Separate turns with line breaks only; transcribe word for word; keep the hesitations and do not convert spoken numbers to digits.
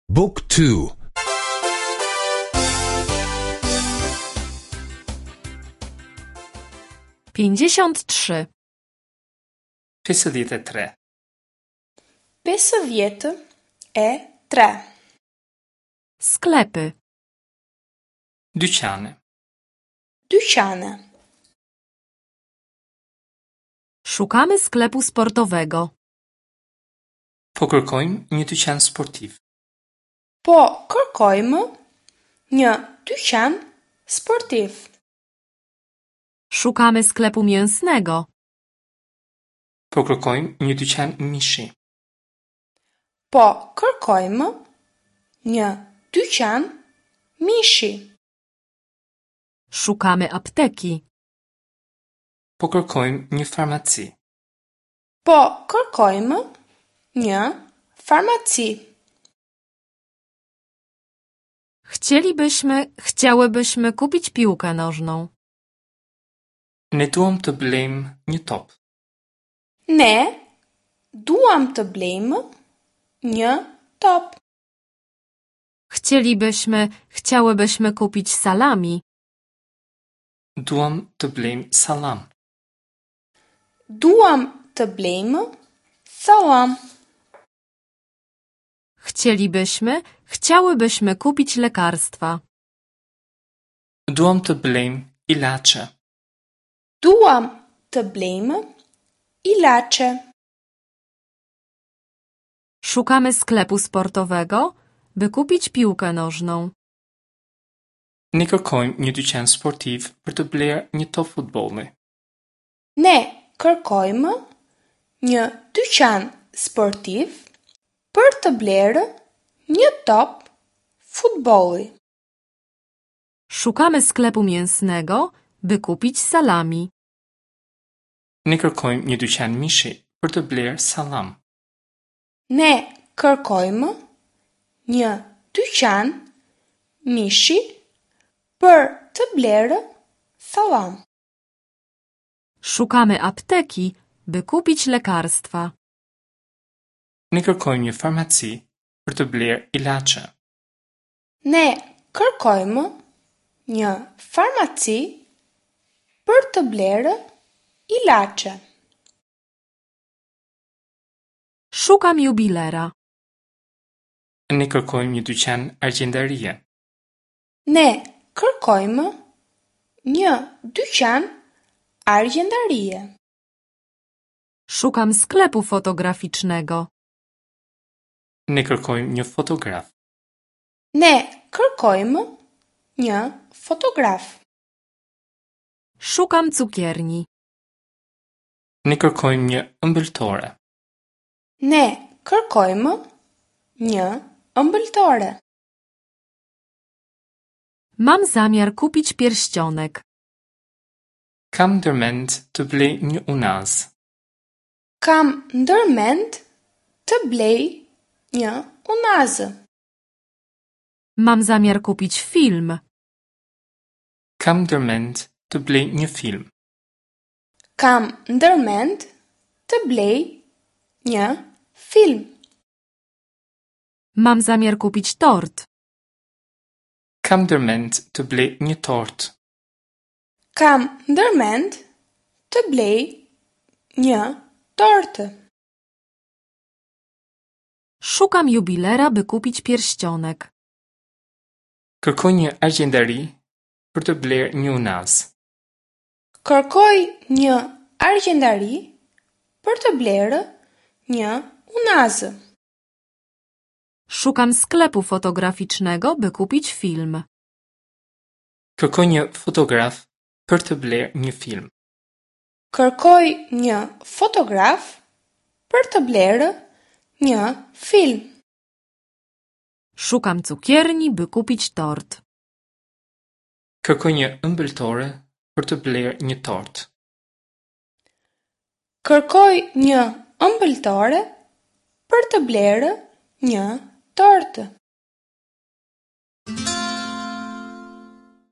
Book two.
Pięćdziesiąt trzy.
Pesëdhjetë e tre.
Pesëdhjetë e tre.
Sklepy.
Dyqane.
Dyqane.
Szukamy sklepu sportowego.
Po kërkojmë një dyqan sportiv.
Po kërkojmë një dyqan sportiv.
Szukamy sklepu mięsnego.
Po kërkojmë një dyqan mishi.
Po kërkojmë një dyqan mishi.
Szukamy apteki.
Po kërkojmë një farmaci.
Po kërkojmë një farmaci.
Chcielibyśmy, chciałybyśmy kupić piłkę nożną.
Ne duam të blejmë një top.
Ne duam të blejmë një top.
Chcielibyśmy, chciałybyśmy kupić salami.
Duam të blejmë sallam.
Duam të blejmë sallam.
Chcielibyśmy, chciałybyśmy kupić lekarstwa.
Duam të blejmë ilaçe.
Duam të blejmë ilaçe.
Szukamy sklepu sportowego, by kupić piłkę nożną.
Ne kërkojmë një dyqan sportiv për të blerë një top futbolli.
Ne kërkojmë një dyqan sportiv për të blerë një top futbolli.
Szukamy sklepu mięsnego, by kupić salami.
Ne kërkojmë një dyqan mishi për të blerë sallam.
Ne kërkojmë një dyqan mishi për të blerë sallam.
Szukamy apteki, by kupić lekarstwa.
Ne kërkojmë një farmaci për të blerë ilaçe.
Ne kërkojmë një farmaci për të blerë ilaçe.
Szukam jubilera.
Ne kërkojmë një dyqan argjendarie.
Ne kërkojmë një dyqan argjendarie.
Szukam sklepu fotograficznego.
Ne kërkojmë një fotograf.
Ne kërkojmë një fotograf.
Szukam cukierni.
Ne kërkojmë një ëmbëltore.
Ne kërkojmë një ëmbëltore.
Mam zamiar kupić pierścionek.
Kam ndërmend të blej një unaz.
Kam ndërmend të blej një unazë.
Mam zamiar kupić film.
Kam ndërmend të blej një film.
Kam ndërmend të blej një film.
Mam zamiar kupić tort.
Kam ndërmend të blej një tort.
Kam ndërmend të blej një tortë.
Szukam jubilera, by kupić pierścionek.
Kërkoj një argjendari për të blerë një unaz.
Kërkoj një argjendari për të blerë një unazë.
Szukam sklepu fotograficznego, by kupić film.
Kërkoj një fotograf për të blerë një film.
Kërkoj një fotograf për të blerë një film.
Szukam cukierni, by kupić tort.
Kërkoj një ëmbëltore për të blerë një tort.
Kërkoj një ëmbëltore për të blerë një tortë.